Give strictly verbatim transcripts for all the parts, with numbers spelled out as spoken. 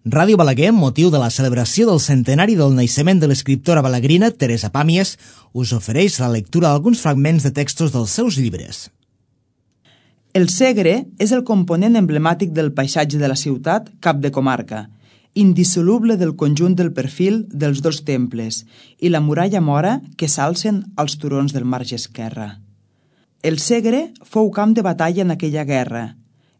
Ràdio Balaguer, amb motiu de la celebració del centenari del naixement de l'escriptora balaguerina Teresa Pàmies, us ofereix la lectura d'alguns fragments de textos dels seus llibres. El Segre és el component emblemàtic del paisatge de la ciutat cap de comarca, indissoluble del conjunt del perfil dels dos temples i la muralla mora que s'alcen als turons del marge esquerre. El Segre fou camp de batalla en aquella guerra.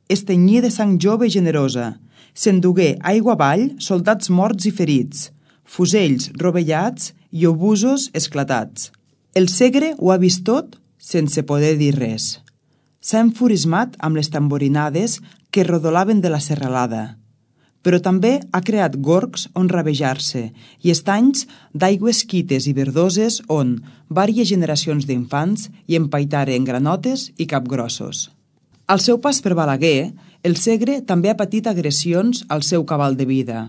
Es tenyia de sang jove i generosa. S'endugué aigua avall soldats morts i ferits, fusells rovellats i obusos esclatats. El Segre ho ha vist tot sense poder dir res. S'ha enfurismat amb les tamborinades que rodolaven de la serralada, però també ha creat gorgs on rabejar-se i estanys d'aigües quites i verdoses on vàries generacions d'infants hi empaitaren granotes i capgrossos. Al seu pas per Balaguer, el Segre també ha patit agressions al seu cabal de vida.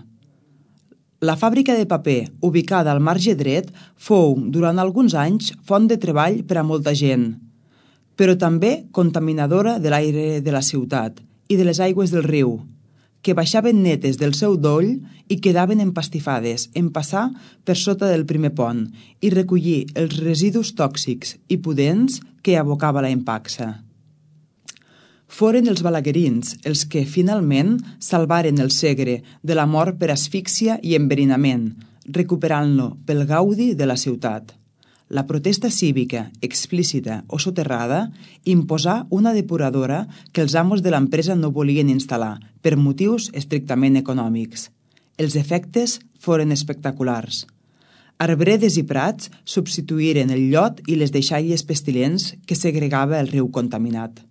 La fàbrica de paper, ubicada al marge dret, fou, durant alguns anys, font de treball per a molta gent, però també contaminadora de l'aire de la ciutat i de les aigües del riu, que baixaven netes del seu doll i quedaven empastifades en passar per sota del primer pont i recollir els residus tòxics i pudents que abocava la empaxa. Foren els balaguerins els que, finalment, salvaren el Segre de la mort per asfíxia i enverinament, recuperant-lo pel gaudi de la ciutat. La protesta cívica, explícita o soterrada, imposà una depuradora que els amos de l'empresa no volien instal·lar, per motius estrictament econòmics. Els efectes foren espectaculars. Arbredes i prats substituïren el llot i les deixalles pestilents que segregava el riu contaminat.